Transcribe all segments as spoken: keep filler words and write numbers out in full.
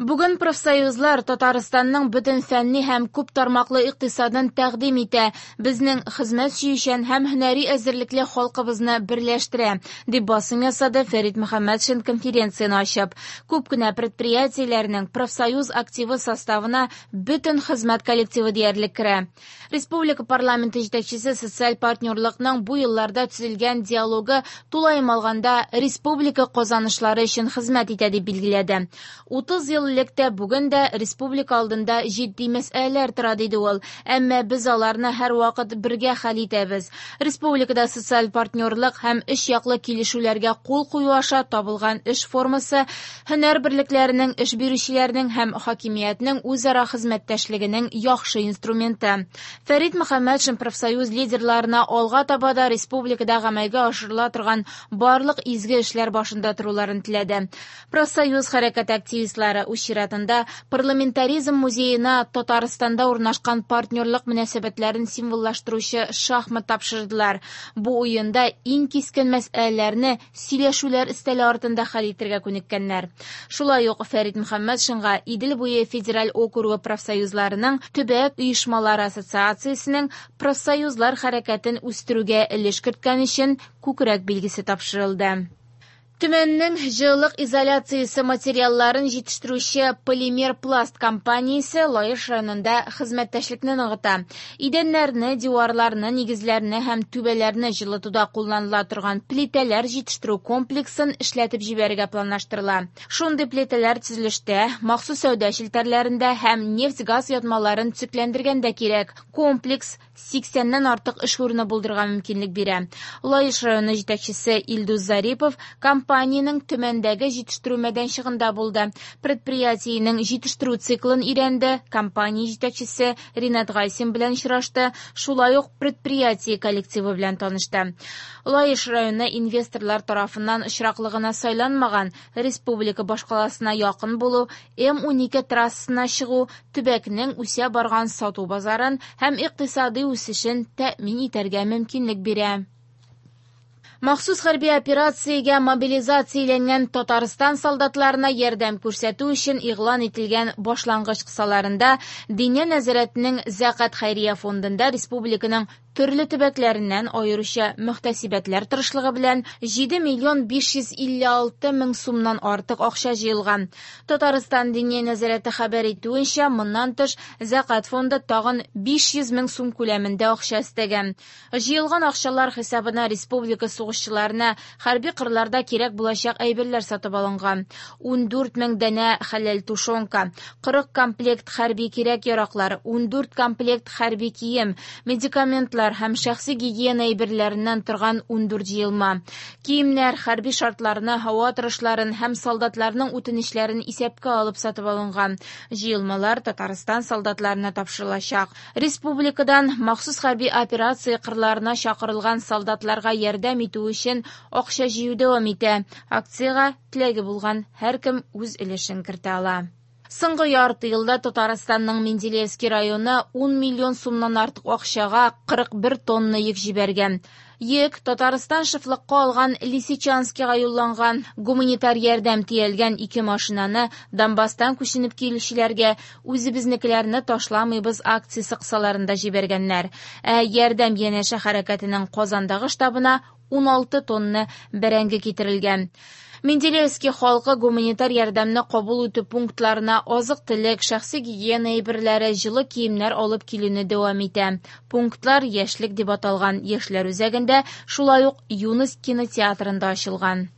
Бүген профсоюзлар Татарстанның бөтен фәнни һәм күп тармаклы икътисадын тәкъдим итә, безнең хезмәт сөючән һәм һөнәри әзерлекле халкыбызны берләштерә, дип басым ясады Фәрит Мөхәммәтшин конференцияне ачып. Күп кенә предприятиеләрнең профсоюз активы составына бөтен хезмәт коллективы диярлек керә. Республика парламенты җитәкчесе социаль партнерлыкның бу елларда төзелгән диалогы тулаем алганда республика казанышлары өчен хезмәт итә дип билгеләде. утыз ел элек тә бүген дә республика алдында җитди мәсьәләләр тора, диде ул. Әмма без аларны һәрвакыт бергә хәл итәбез. Республикада социаль партнерлык һәм өч яклы килешүләргә кул кую аша табылган эш формасы һөнәр берлекләренең, эш бирүчеләрнең һәм хакимиятнең үзара хезмәттәшлегенең яхшы инструменты. Фәрит Мөхәммәтшин профсоюз лидерларына алга таба да республикада гамәлгә ашырыла торган барлык изге эшләр башында торуларын теләде. Профсоюз хәрәкәте активистлары үз чиратында парламентаризм музеена Татарстанда урнашкан партнерлык мөнәсәбәтләрен символлаштыручы шахмат тапшырдылар. Бу уенда иң кискен мәсьәләләрне сөйләшүләр өстәле артында хәл итәргә күнеккәннәр. Шулай ук Фәрит Мөхәммәтшинга Идел буе федераль округы профсоюзларының төбәк оешмалары ассоциациясенең профсоюзлар хәрәкәтен үстерүгә өлеш керткән өчен күкрәк билгесе тапшырылды. Төмәннең җылылык изоляциясе материалларын җитештерүче Полимер Пласт компаниясе Лаеш районында хезмәттәшлекне ныгыта. Идәннәрне, диварларны, нигезләрне һәм түбәләрне җылытуда кулланыла торган плитәләр җитештерү комплексын эшләтеп җибәрергә планлаштырыла. Шундый плитәләр төзелештә, махсус сәүдә челтәрләрендә һәм нефть-газ ятмаларын төзекләндергәндә кирәк. Комплекс сиксәннән артык эш урыны булдырырга мөмкинлек бирә. Лаеш районы җитәкчесе Илдус Зарипов компаниянең Төмәндәге җитештерү мәйданчыгында булды. Предприятиенең җитештерү циклын өйрәнде, компания җитәкчесе Ринат Гайсин белән очрашты, шулай ук предприятие коллективы белән танышты. Лаеш районы инвесторлар тарафыннан очраклы гына сайланмаган, республика башкаласына якын булу, М унике трассасына чыгу, төбәкнең үсә барган сату базарын һәм икътисади үсешен тәэмин итәргә мөмкинлек бирә. Махсус хәрби операциягә мобилизацияләнгән Татарстан солдатларына ярдәм күрсәтү өчен игълан ителгән башлангыч кысаларында Диния нәзарәтенең Зәкат хәйрия фондында республиканың төрле төбәкләреннән аеруча мөхтәсибәтләр тырышлыгы белән җиде миллион биш йөз илле алты мең сумнан артык акча җыелган. Татарстан Диния нәзарәте хәбәр итүенчә, моннан тыш Зәкат фонды тагын биш йөз мең сум күләмендә акча өстәгән. Җыелган акчалар хисабына республика сугышчыларына хәрби кырларда кирәк булачак әйберләр сатып алынган. Ундүрт мең данә хәләл тушенка, кырык комплект хәрби кирәк-яраклар, ундүрт комплект хәрби кием, медикаментлар һәм шәхси гигиена әйберләреннән торган ундүрт җыелма. Киемнәр хәрби шартларны, һава торышларын һәм солдатларның үтенечләрен исәпкә алып сатып алынган. Җыелмалар Татарстан солдатларына тапшырылачак. Республикадан махсус хәрби операция кырларына чакырылган солдатларга ярдәм итү өчен акча җыю дәвам итә. Акциягә теләге булган һәркем үз өлешен кертә ала. Соңгы ярты елда Татарстанның Менделеевский районы ун миллион сумнан артык акчага кырык бер тонна йөк җибәргән. Йөк Татарстан шефлыкка алган Лисичанскига юлланган. Гуманитар ярдәм төялгән ике машинаны Донбасстан күченеп килүчеләргә үзебезнекеләрне ташламыйбыз акциясе кысаларында җибәргәннәр. Ә ярдәм янәшә хәрәкәтенең Казандагы штабына уналты тонна бәрәңге китерелгән. Менделеевский халкы гуманитар ярдәмне кабул итү пунктларына азык-төлек, шәхси гигиена әйберләре, җылы киемнәр алып килүне дәвам итә. Пунктлар Яшьлек дип аталган яшьләр үзәгендә, шулай ук Юность кинотеатрында ачылган.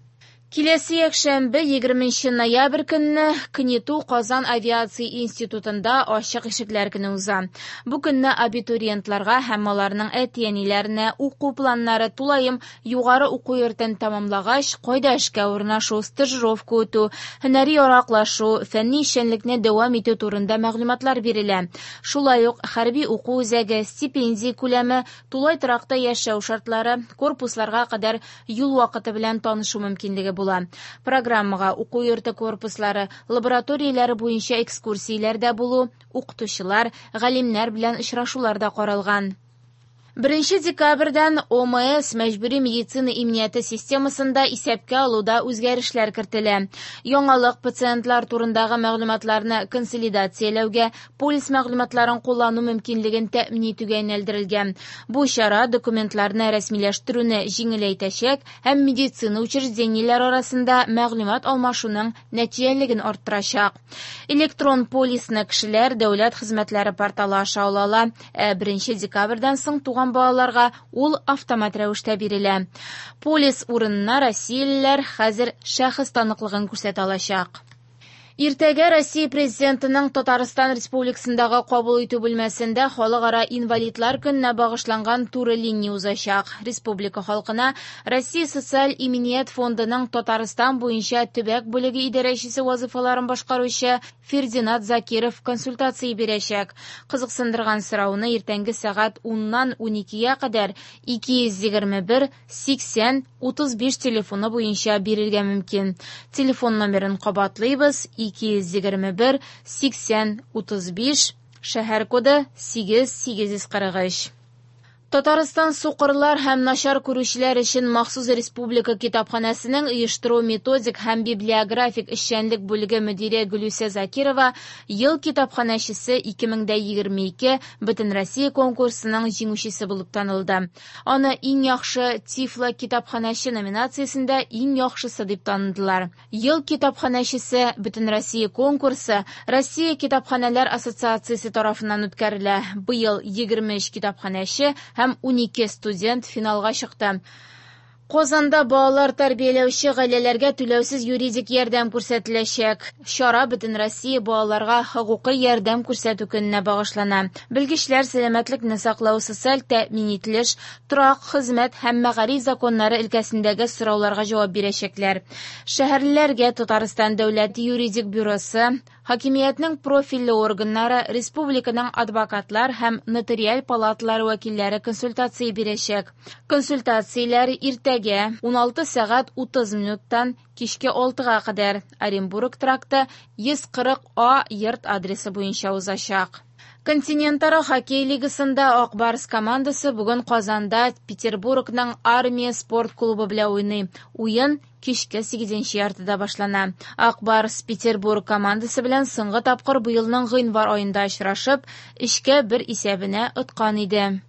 Киләсе якшәмбе, егерменче ноябрь көнне КНИТУ Казан авиация институтында ачык ишекләр көне уза. Бу көнне абитуриентларга һәм аларның әти-әниләренә уку планнары тулаем югары уку йортын тәмамлагач, кайда эшкә урнашу, стажировка үтү, һөнәри яраклашу, фәнни эшчәнлекне дәвам итү турында мәгълүматлар бирелә. Шулай ук хәрби уку үзәге, стипендия күләме, тулай торакта яшәү шартлары, корпусларга кадәр юл вакыты белән танышу мөмкинлеге була. Программага уку йорты корпуслары, лабораторияләре буенча экскурсияләрдә булу, укытучылар, галимнәр белән очрашулар да каралган. Беренче декабрьдән О М С мәҗбүри медицина иминияте системасында исәпкә алуда үзгәрешләр кертелә. Яңалык пациентлар турындагы мәгълүматларны консолидацияләүгә, полис мәгълүматларын куллану мөмкинлеген тәэмин итүгә юнәлдерелгән. Бу чара документларны рәсмиләштерүне җиңеләйтәчәк һәм медицина учреждениеләре арасында мәгълүмат алмашуның нәтиҗәлелеген арттырачак. Электрон полисны кешеләр дәүләт хезмәтләре порталы аша ала ала, ә беренче декабрьдән соң туган балаларга ул автомат рәвештә бирелә. Полис урынына россиялеләр хәзер шәхес таныклыгын күрсәтә алачак. Иртәгә Россия Президентының Татарстан Республикасындагы кабул итү бүлмәсендә Халыкара инвалидлар көненә багышланган туры линия узачак. Республика халкына Россия Социаль иминият фондының Татарстан буенча төбәк бүлеге идарәчесе вазифаларын башкаручы Фердинат Закиров консультация бирәчәк. Кызыксындырган сорауны иртәнге сәгать уннан уникегә кадәр ике йөз егерме бер сиксән утыз биш телефоны буенча бирергә мөмкин. Телефон номерын кабатлыйбыз: ике йөз егерме бер сиксән утыз биш, шәһәр коды сигез сигез йөз кырык өч. Татарстан сукырлар һәм начар күрүчеләр өчен махсус республика китапханәсенең оештыру методик һәм библиографик эшчәнлек бүлеге мөдире Гөлүсә Закирова «Ел китапханәчесе ике мең егерме ике» Бөтенроссия конкурсының җиңүчесе булып танылды. Аны «Иң яхшы тифло китапханәче» номинациясендә иң яхшысы дип таныдылар. «Ел китапханәчесе» Бөтенроссия конкурсы Россия китапханәләр ассоциациясе тарафыннан үткәрелә. Быел егерме өч китапханәче һәм унике студент финалга чыкты. Казанда балалар тәрбияләүче гаиләләргә түләүсез юридик ярдәм күрсәтеләчәк. Чара Бөтенроссия балаларга хокукый ярдәм күрсәтү көненә багышлана. Белгечләр сәламәтлекне саклау, социаль тәэмин ителеш, торак, хезмәт һәм мәгариф законнары өлкәсендәге сорауларга җавап бирәчәкләр. Шәһәрлеләргә Татарстан дәүләт юридик бюросы, хакимиятнең профильле органнары, республиканың адвокатлар һәм нотариаль палаталары вәкилләре консультация бирәчәк. Консультацияләр иртәгә уналты сәгать утыз минуттан кичке алтыга кадәр Оренбург тракты йөз кырык А йорт адресы буенча узачак. Континентара хоккей лигасында Ак Барс командасы бүген Казанда Петербургның Армия спорт клубы белән уйный. Уен кичке сигезенче яртыда башлана. Ак Барс Петербург командасы белән соңгы тапкыр быелның гыйнвар аенда очрашып, өчкә бер исәбенә откан иде.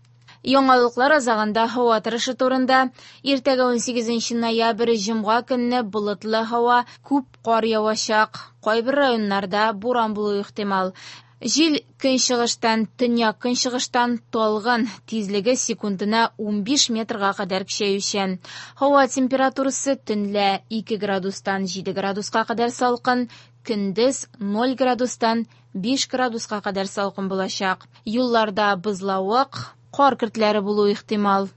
Яңалыклар азагында һава торышы турында. Иртәгә, унсигезенче ноябрь, җомга көнне болытлы һава, күп кар явачак. Кайбер районнарда буран булуы ихтимал. Җил көнчыгыштан, төньяк көнчыгыштан талгын, тизлеге секундына унбиш метрга кадәр көчәючән. Һава температурасы төнлә ике градустан җиде градуска кадәр салкын, көндез ноль градустан биш градуска кадәр салкын булачак. Юлларда бозлавык, кар көртләре булуы ихтимал.